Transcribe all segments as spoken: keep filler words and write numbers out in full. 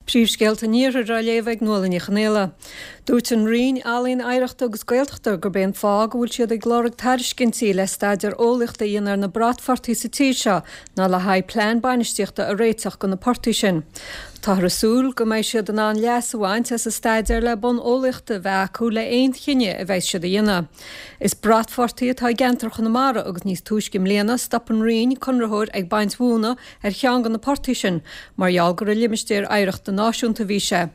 Príomhscéalta an Iarthair á léamh ag Nuala Ní Chonaola. Dúirt an Roinn Ealaíon Oidhreachta agus Gaeltachta gurb é an fáth go bhfuil siad ag lorg tairiscintí le staidéar eolaíochta a dhéanamh ar na bratphortaigh sa tír seo ná le haghaidh plean bainistíochta a réiteach do na portaigh sin. Táthar ag súil go mbeidh siad in ann leas a bhaint as an staidéar le bonn eolaíochta a bheith acu le haon chinneadh a bheidh siad a dhéanamh. Is bratphortaigh atá i gceantar Chonamara agus níos túisce i mbliana stop an Roinn conraitheoir ag baint mhóna ar cheann de na portaigh sin mar gheall gur i limistéar oidhreachta náisiúnta a bhí sé.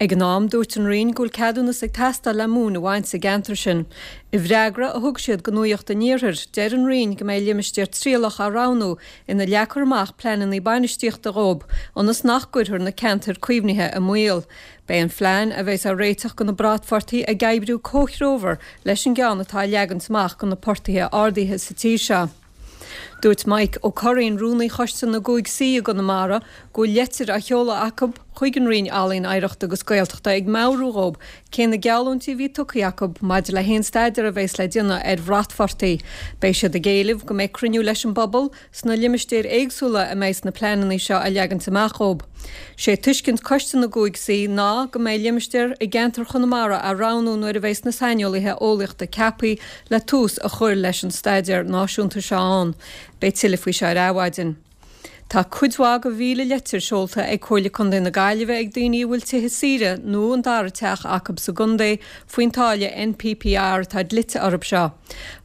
Ag an am dúirt an Roinn go bhfuil ceadúnas ag teastáil le móin a bhaint sa gceantar sin. I bhfreagra a thug siad do Nuacht an Iarthair, deir an Roinn go mbeidh limistéar trialach á roghnú ina leagfar amach pleananna bainistíochta dhóibh, ionas nach gcuirfear na ceantair caomhnaithe i mbaol. Beidh an phlean a bheas á réiteach do na bratphortaigh ag oibriú comhthreomhar leis an gceann atá á leagaint amach do na portaigh ardaithe sa tír seo. Dúirt Mike Ó Curraoin, rúnaí Choiste na gCúig C i gConamara, go bhfuil leitir á sheoladh acu chuig an Roinn Ealaíon Oidhreachta agus Gaeltachta ag meabhrú dhóibh cé na geallúintí a bhí tugtha acu maidir le haon staidéar a bheas le déanamh ar bhratphortaigh. Beidh siad ag éileamh go mbeidh cruinniú leis an bpobal sna limistéir éagsúla a mbeidh na pleananna seo á leagaint amach dhóibh. Sé tuiscint Coiste na gCúig C ná go mbeidh limistéar i gceantar Chonamara á roghnú nuair a bheas na saineolaithe eolaíochta ceaptha le tús a chur leis an staidéar náisiúnta seo ann. Beidh tuilleadh faoi seo ar Adhmhaidin. Tá cuid mhaith de mhíle leitir seolta ag Comhairle Contae na Gaillimhe ag daoine a bhfuil tithe saoire nó an dara teach acu sa gcontae faoin táille NPPR atá dlite orthu seo.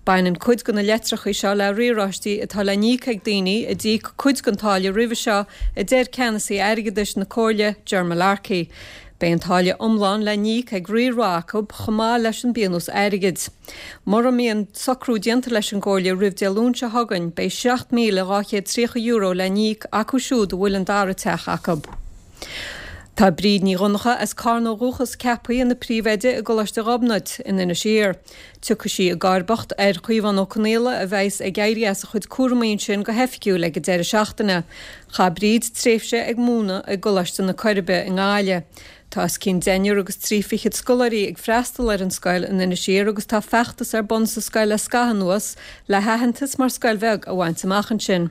Baineann cuid de na leitreacha seo le riaráistí atá le n-íoc ag daoine a d'íoc cuid den táille roimhe seo a deir ceannasaí airgeadais na Comhairle, Ger Mullarkey. Beidh an táille iomlán le n-íoc ag riar mhaith acu chomh maith leis an bpionós airgid. Mura mbíonn socrú déanta leis an gComhairle roimh Dé Luain seo chugainn, beidh seacht míle dhá chéad tríocha euro le n-íoc acu siúd a bhfuil an dara teach acu. Tá Bríd Ní Dhonncha as Carna ó dhúchas ceaptha ina príomhoide i gColáiste Ghobnait in Inis Oírr. Tiocfaidh sí i gcomharbacht ar Chaomhán Ó Conaola a bheas ag éirí as a chuid cúramaí ansin go hoifigiúil ag an deireadh seachtaine. Chaith Bríd tréimhse ag múineadh i gColáiste na Coiribe i nGaillimh. Tá os cionn deichniúr agus trí fichead scoláirí ag freastal ar an scoil in Inis Oírr agus tá feachtas ar bun sa scoil le scaitheamh anuas le haitheantas mar scoil bheag a bhaint amach ansin.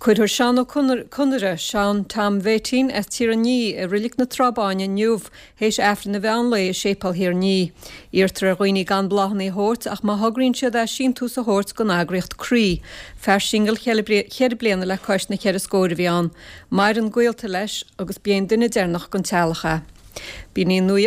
Cuirfear Seán Ó Conaire, Seán Tom Bhéitín as Tír an Ní i Reilig na Trá Báine inniu théis Aifreann an mheán lae i Séipéal Thír an Ní. Iarrtar ar dhaoine gan bláthanna a thabhairt ach má thograíonn siad é síntiús a thabhairt don eagraíocht Croí. Fear singil cheithre bliana le cois na ceithre scóir a bhí ann. Maireann gaolta leis agus b'é an duine deireanach den teaghlach é. B'in í an nuacht.